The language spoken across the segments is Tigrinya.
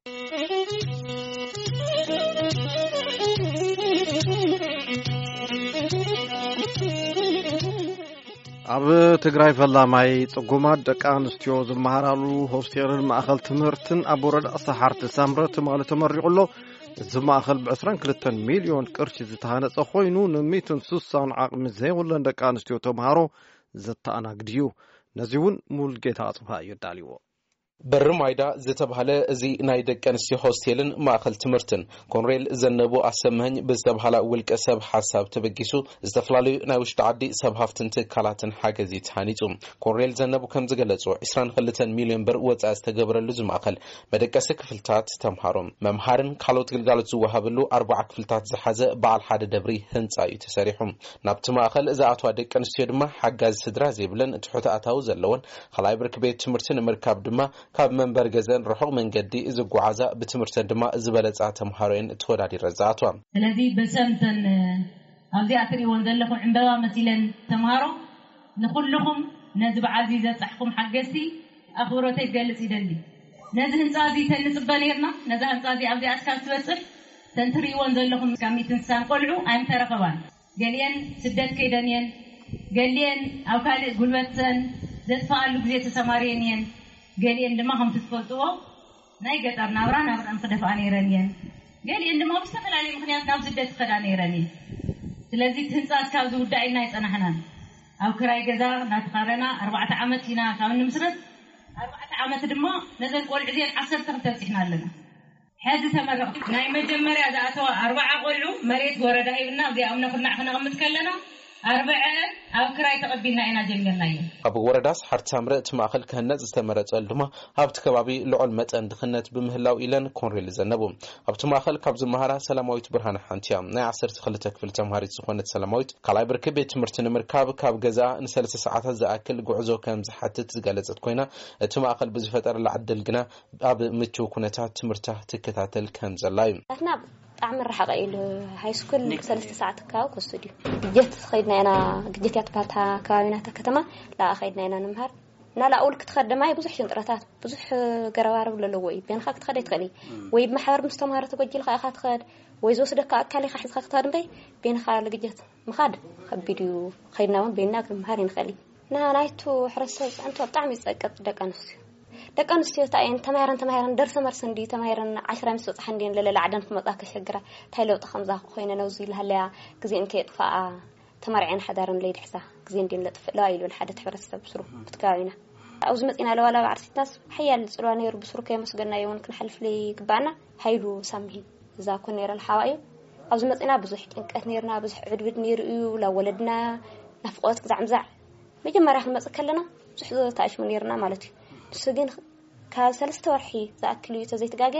ኣብ ትግራይ ፈላማይ ጽጉማት ደቂ ኣንስትዮ ዝመሃራሉ ሆስቴልን ማእኸል ትምህርትን ኣብ ወረዳ ሰሓርቲ ሳምረ ትማሊ ተመሪቑ ኣሎ። እዚ ማእኸል ብ22 ሚልዮን ቅርሺ ዝተሃነጸ ኮይኑ፣ ን160ን ዓቕሚ ዘይብለን ደቂ ኣንስትዮ ተምሃሮ ዘተኣናግድ እዩ። ነዚ እውን ሙሉጌታ ኣጽብሃ እዩ ኣዳልዎ። በሪ ማይዳ ዝተባህለ እዚ ናይ ደቂ ኣንስትዮ ሆስቴልን ማእኸል ትምህርትን፣ ኮንሬል ዘነቡ ኣሰመኸኝ ብዝተባህላ ውልቀ ሰብ ሓሳብ ተበጊሱ፣ ዝተፈላለዩ ናይ ውሽጢ ዓዲ ሰብ ሃፍትን ትካላትን ሓገዝ እዩ ተሃኒጹ። ኮንሬል ዘነቡ ከም ዝገለጹ፣ 22 ሚልዮን ብር ወጻኢ ዝተገበረሉ እዚ ማእኸል መደቀሲ ክፍልታት፣ ተምሃሮ፣ መምሃርን ካልኦት ግልጋሎት ዝወሃበሉ ኣርባዓ ክፍልታት ዝሓዘ በዓል ሓደ ደብሪ ህንጻ እዩ ተሰሪሑ። ናብቲ ማእኸል ዝኣትዋ ደቂ ኣንስትዮ ድማ ሓጋዚ ስድራ ዘይብለን ትሑት ኣታዊ ዘለወን ካልኣይ ብርኪ ቤት ትምህርቲ ንምርካብ ድማ ካብ መንበሪ ገዘን ርሑቕ መንገዲ ዝጓዓዛ፣ ብትምህርተን ድማ ዝበለጻ ተምሃሮ እየን ተወዳዲረን ዝኣትዋ። ስለዚ ብሰምተን ኣብዚኣ ትርእይወን ዘለኹም ዕምበባ መሲለን ተምሃሮ፣ ንኹልኹም ነዚ በዓል እዚ ዘብጻሕኩም ሓገዝቲ ኣኽብሮተይ ክገልጽ ይደሊ። ነዚ ህንጻ እዚ ተንጽበ ነርና። ነዛ ህንጻ እዚ ኣብዚኣ እስካብ ትበጽሕ፣ ተን ትርእይወን ዘለኹም ካብ ሚእትን ስሳን ቆልዑ ኣይምተረኸባን። ገሊኤን ስደት ከይደን እየን። ገሊኤን ኣብ ካልእ ጉልበተን ዘጥፍኣሉ ግዜ ተሰማርየን እየን። ገሊኤን ድማ ከምቲ ትፈልጥዎ ናይ ገጠር ናብራ ናብረን ክደፍኣ ነይረን እየን። ገሊኤን ድማ ብዝተፈላለየ ምኽንያት ናብ ስደት ክኸዳ ነይረን እየን። ስለዚ እቲ ህንጻ እስካብ ዝውዳእ ኢልና ኣይጸናሕናን። ኣብ ክራይ ገዛ እናተኻረና ኣርባዕተ ዓመት ኢና ካብ ንምስረት፣ ኣርባዕተ ዓመት ድማ ነዘን ቆልዑ እዚአን ዓሰርተ ክልተ ኣብጺሕና ኣለና። ሕዚ ተመረቕቲ ናይ መጀመርያ ዝኣተዋ ኣርባዓ ቆልዑ መሬት ወረዳ ሂብና፣ እዚኣም ነኹርናዕ ክነቕምጥ ከለና፣ ኣርብዐአን ኣብ ክራይ ተቐቢልና ኢና ጀሚርናዮ። ኣብ ወረዳ ሰሓርቲ ሳምረ እቲ ማእኸል ክህነጽ ዝተመረጸሉ ድማ ኣብቲ ከባቢ ልዑል መጠን ድኽነት ብምህላው ኢለን ኮንሬል ዘነቡ። ኣብቲ ማእኸል ካብ ዝመሃራ ሰላማዊት ብርሃነ ሓንቲ እያ። ናይ ዓሰርተ ክልተ ክፍሊ ተምሃሪት ዝኾነት ሰላማዊት ካልኣይ ብርኪ ቤት ትምህርቲ ንምርካብ ካብ ገዛ ንሰለስተ ሰዓታት ዝኣክል ጉዕዞ ከም ዝሓትት ዝገለጸት ኮይና፣ እቲ ማእኸል ብዝፈጠረላ ዕድል ግና ኣብ ምቹው ኩነታት ትምህርታ ትከታተል ከም ዘላ እዩ። ናትና ብጣዕሚ ርሓቐ ኢሉ፣ ሃይ ስኩል ሰለስተ ሰዓት ካብ ክወስድ እዩ። ግጀት ኸይድና ኢና፣ ግጀት እያ ትበሃል እታ ከባቢና፣ እታ ከተማ፣ ላኣ ኸይድና ኢና ንምሃር። እና ላኣ ውል ክትኸድ ድማ ብዙሕ ሽንጥረታት፣ ብዙሕ ገረባረብ ዘለዎ እዩ። ቤንኻ ክትኸድ ኣይትኽእል እዩ። ወይ ብማሕበር ምስ ተምሃሮ ተጎጂልካ ኢኻ ትኸድ፣ ወይ ዝወስደካ ኣካል ኢኻ ሒዝካ ክትኸድ እምበይ፣ ቤንኻ ልግጀት ምኻድ ከቢድ እዩ። ኸይድና እውን ቤንና ክንምሃር ይንኽእል እዩ። ና-፣ ናይቱ ሕብረተሰብ ፅዕንቶ ብጣዕሚ ይፀቅጥ። ደቂ ኣንስትዮ፣ ደቂ ኣንስትዮ እንታይ እየን ተማሂረን፣ ተማሂረን ደርሰ መርሰ እንዲ ተማሂረን ዓሽራ ምስ በፅሓ እንዲየን ለለ ላዕደን ክመፃ ከሸግራ። እንታይ ለውጢ ከምዛ ኮይነ ነብዚ ልሃለያ ግዜን ከየጥፋኣ ተመርዐን ሓዳረን ለይድሕዛ ግዜ እንዲየን ለጥፍእለዋ ኢሉ ሓደ ሕብረተሰብ ብስሩ ብቲ ከባቢና። ኣብዚ መፂና ለዋላ ብዓርሲትናስ ሓያል ፅልዋ ነይሩ፣ ብስሩ ከየመስገናዮ እውን ክንሓልፍ ለይግባኣና። ሃይሉ ሳምሂ እዛ ኮ ነይረ ልሓዋ እዩ። ኣብዚ መፂና ብዙሕ ጭንቀት ነይርና፣ ብዙሕ ዕድብድ ነይሩ እዩ። ላብ ወለድና ናፍቆት ግዛዕ ምዛዕ መጀመርያ ክንመፅእ ከለና ብዙሕ ተኣሽሙ ነይርና ማለት እዩ። ንሱ ግን ካብ ሰለስተ ወርሒ ዝኣክል እዩ ተዘይትጋገ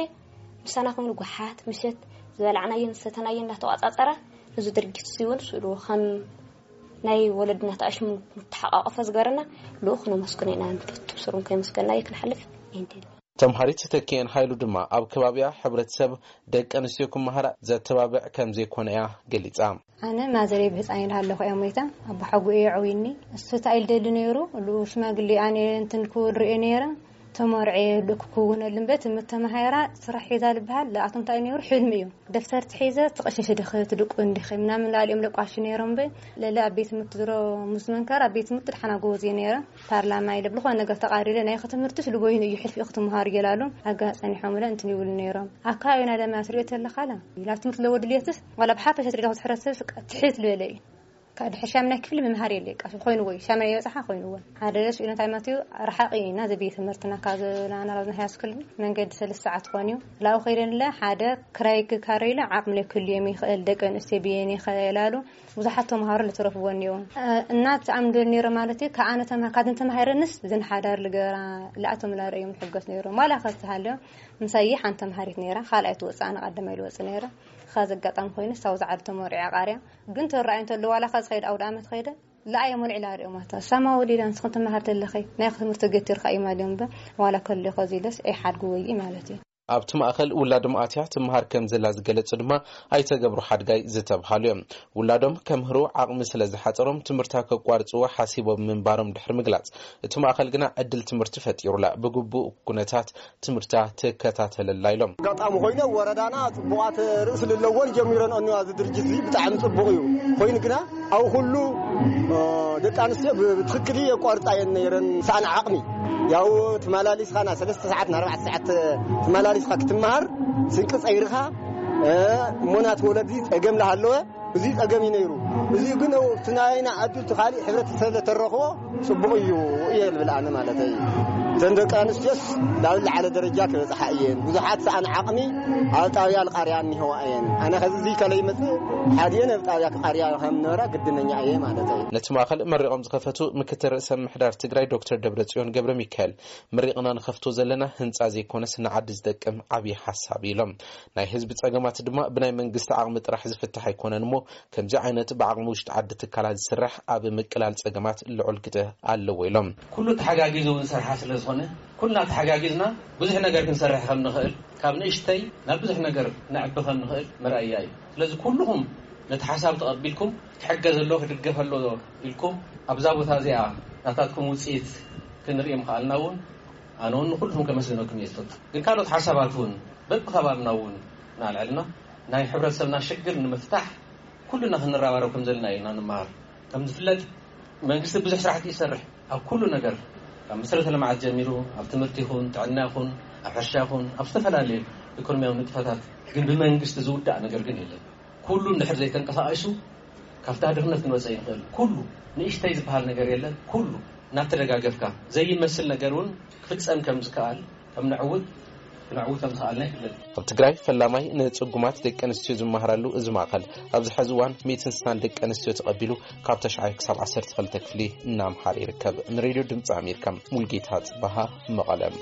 ምሳና ኮይኑ ጓሓት ምሸት ዝበላዕናየን ዝሰተናየን እናተቋፃፀረ ነዚ ድርጊት እዚ እውን ስእሉ ከም ናይ ወለድና ተኣሽሙ ንተሓቋቆፈ ዝገበረና ልኡኽ ነመስግኖ ኢና። ንፈቱ ስሩን ከይመስገና እዩ ክንሓልፍ ይንደል። ተምሃሪት ተኪኤን ሃይሉ ድማ ኣብ ከባቢያ ሕብረተሰብ ደቂ ኣንስትዮ ክመሃራ ዘተባብዕ ከም ዘይኮነ እያ ገሊጻ። ኣነ ማዘረይ ብህፃን ኢላ ኣለኹ እያ ሞይታ። ኣቦሓጉ እየ ዓውይኒ። እሱ እንታይ ኢሉ ደሊ ነይሩ? ሉ ሽማግሌ ኣነ እንትን ክብል ርእየ ነይረ። ተመርዐ ልእክ ክውነሉ እምበር ትምህርቲ ተመሃራ ስራሕ ሒዛ ልበሃል ለኣቶም እንታይ ነይሩ? ሕልሚ እዩ። ደፍተር ትሒዘ ትቐሸሽ ድኸ ትድቁ እንዲኸ ምናምን ላልኦም ለቋሽ ነይሮም። በ ለለ ኣብ ቤት ትምህርቲ ድሮ ምስ መንከር ኣብ ቤት ትምህርቲ ድሓና ጎበዝ እየ ነይረ። ፓርላማ ኢለ ብልኾነ ነገር ተቓሪለ ናይ ትምህርትስ ልቦይን እዩ ሕልፊ ክትምሃር እየላሉ። ኣጋ ጸኒሖም ኢለ እንትን ይብሉ ነይሮም። ኣብ ከባቢና ለማ ትሪኦ ተለኻላ ኢላ ትምህርቲ ለወድልየትስ ዋላ ብሓፈሻ ትሪኦ ክትሕረስስ ትሕት ልበለ እዩ። ካብ ድሕሪ ሻምናይ ክፍሊ ምምሃር የለ፣ ቃ ኮይኑ ወይ ሻምናይ የበጽሓ ኮይንዎ። ሓደ ስኢሉ እንታይ ማለት እዩ? ርሓቕ ኢና ዘቤት ትምህርትና ካብ ዝናና ላብና ሃይ ስኩል መንገዲ ሰለስተ ሰዓት ኮን እዩ። ላው ከይደንለ ሓደ ክራይ ክካረይለ ዓቕሚ ለክልዮም ይኽእል፣ ደቂ ኣንስትዮ ብየን ይኽእላሉ። ብዙሓት ተምሃሮ ለተረፍዎ እኒኦ። እናት ኣምዶ ነይረ ማለት እዩ። ከኣነ ተማ-፣ ካብን ተማሂረንስ ብዝን ሓዳር ልገራ ለኣቶም ላርእዮም ሕገስ ነይሮም። ዋላ ከዝተሃልዮ ምሳይ ሓንቲ ተምሃሪት ነይራ፣ ካልኣይ ትወፅእ፣ ኣነ ቀዳማይ ልወፅእ ነይረ። ኻዚ ኣጋጣሚ ኮይኑ ሳው ዝዓዲ ተመሪዐ ቃርያ። ግን ተራእዩ እንተሎ ዋላ ኻዚ ኸይድ ኣውደ ኣመት ኸይደ፣ ለኣየ መልዒ ላርእዮ ማታ። ሳማ ወሊዳ ንስኹም ትመሃር ተለኸይ፣ ናይ ትምህርቲ ገቲርካ እዩ ማልዮም በ፣ ዋላ ከሎ ኸዚ ኢለስ ኣይሓድጉ ወይ ማለት እዩ። ኣብቲ ማእኸል ውላዶም ኣትያ ትምሃር ከም ዘላ ዝገለጹ ድማ ኣይተ ገብሩ ሓድጋይ ዝተብሃሉ እዮም። ውላዶም ከምህሩ ዓቕሚ ስለ ዝሓጸሮም ትምህርታ ከቋርጽዎ ሓሲቦም ምንባሮም ድሕሪ ምግላጽ፣ እቲ ማእኸል ግና ዕድል ትምህርቲ ፈጢሩላ ብግቡእ ኩነታት ትምህርታ ትከታተለላ ኢሎም። ኣጋጣሚ ኮይነ ወረዳና ጽቡቓት ርእሲ ልለዎን ጀሚረን እኒዋ እዚ ድርጅት እዚ ብጣዕሚ ጽቡቕ እዩ። ኮይኑ ግና ኣብ ኩሉ ደቂ ኣንስትዮ ብትክክል የቋርጻ እየን ነይረን። ሳን ዓቕሚ ያው ትመላሊስኻ ና ሰለስተ ሰዓት ና ኣርባዕተ ሰዓት ትመላሊስኻ ክትመሃር ስንቂ ጸይርኻ እሞናት ወለዲ ጸገም ላሃለወ እዚ ጸገም እዩ ነይሩ። እዚ ግን እቲ ናይና ዕድል እቲ ካሊእ ሕብረተሰብ ለተረኽቦ ጽቡቕ እዩ እየ ልብል ኣነ ማለት እዩ። እተን ደቂ ኣንስትዮስ ናብ ዝለዓለ ደረጃ ክበጽሓ እየን። ብዙሓት ሰኣን ዓቕሚ ኣብ ጣብያ ልቃርያ እኒህዋ እየን። ኣነ ከዚ እዚ ከለይ መጽእ ሓድየን ኣብ ጣብያ ክቃርያ ከም ነበራ ግድነኛ እየ ማለት እዩ። ነቲ ማእኸል መሪቖም ዝኸፈቱ ምክትል ርእሰ ምምሕዳር ትግራይ ዶክተር ደብረጽዮን ገብረ ሚካኤል፣ መሪቕና ንኸፍቶ ዘለና ህንፃ ዘይኮነስ ንዓዲ ዝጠቅም ዓብዪ ሓሳብ ኢሎም። ናይ ህዝቢ ጸገማት ድማ ብናይ መንግስቲ ዓቕሚ ጥራሕ ዝፍታሕ ኣይኮነን እሞ ከምዚ ዓይነት ብዓቕሚ ውሽጢ ዓዲ ትካላት ዝስራሕ ኣብ ምቅላል ጸገማት ልዑል ግደ ኣለዎ ኢሎም። ኩሉ ተሓጋጊዙ እውን ዝሰርሓ ስለ ዝኾነ ኩልና ተሓጋጊዝና ብዙሕ ነገር ክንሰርሕ ከም ንኽእል ካብ ንእሽተይ ናብ ብዙሕ ነገር ነዕቢ ከም ንኽእል መርኣያ እዩ። ስለዚ ኩልኹም ነቲ ሓሳብ ተቐቢልኩም ክሕገዝ ኣሎ ክድገፍ ኣሎ ኢልኩም ኣብዛ ቦታ እዚኣ ናታትኩም ውፅኢት ክንርኢ ምኽኣልና እውን ኣነ እውን ንኩልኹም ከመስግነኩም እየ ዝፈቱ። ግን ካልኦት ሓሳባት እውን በብከባብና እውን እናልዐልና ናይ ሕብረተሰብና ሽግር ንምፍታሕ ኩልና ክንረባረብ ከም ዘለና ኢና ንመሃር። ከም ዝፍለጥ መንግስቲ ብዙሕ ስራሕቲ ይሰርሕ ኣብ ኩሉ ነገር ካብ መሰረተ ልምዓት ጀሚሩ ኣብ ትምህርቲ ይኹን ጥዕና ይኹን ኣብ ሕርሻ ይኹን ኣብ ዝተፈላለዩ ኢኮኖሚያዊ ንጥፈታት ግን ብመንግስቲ ዝውዳእ ነገር ግን የለን። ኩሉ እንድሕር ዘይተንቀሳቒሱ ካብታ ድኽነት ክንወፀ ይንኽእል። ኩሉ ንእሽተይ ዝበሃል ነገር የለን። ኩሉ እናተደጋገፍካ ዘይመስል ነገር እውን ክፍፀም ከም ዝከኣል ከም ንዕውት ክነዕውት ከም ዝኸኣልና ይፍለጥ። ኣብ ትግራይ ፈላማይ ንጽጉማት ደቂ ኣንስትዮ ዝመሃራሉ እዚ ማእኸል ኣብዚ ሕዚ እዋን ሚእትን ስሳን ደቂ ኣንስትዮ ተቐቢሉ ካብ ተሽዓይ ክሳብ ዓሰርተ ክልተ ክፍሊ እናምሃረ ይርከብ። ንሬድዮ ድምፂ ኣሜሪካ ሙልጌታ ጽባሃ መቐለም።